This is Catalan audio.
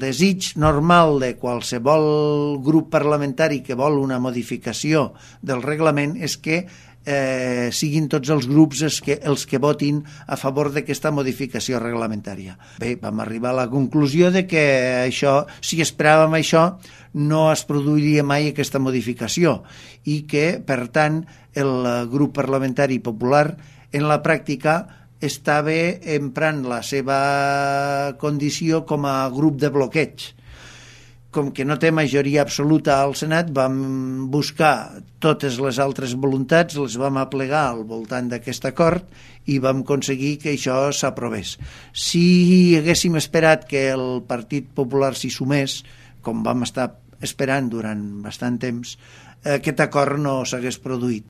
desig normal de qualsevol grup parlamentari que vol una modificació del reglament és que siguin tots els grups els que votin a favor d'aquesta modificació reglamentària. Bé, vam arribar a la conclusió de que això, si esperàvem això, no es produiria mai aquesta modificació i que, per tant, el grup parlamentari popular en la pràctica estava emprant la seva condició com a grup de bloqueig. Com que no té majoria absoluta al Senat, vam buscar totes les altres voluntats, les vam aplegar al voltant d'aquest acord i vam aconseguir que això s'aprovés. Si haguéssim esperat que el Partit Popular s'hi sumés, com vam estar esperant durant bastant temps, aquest acord no s'hagués produït.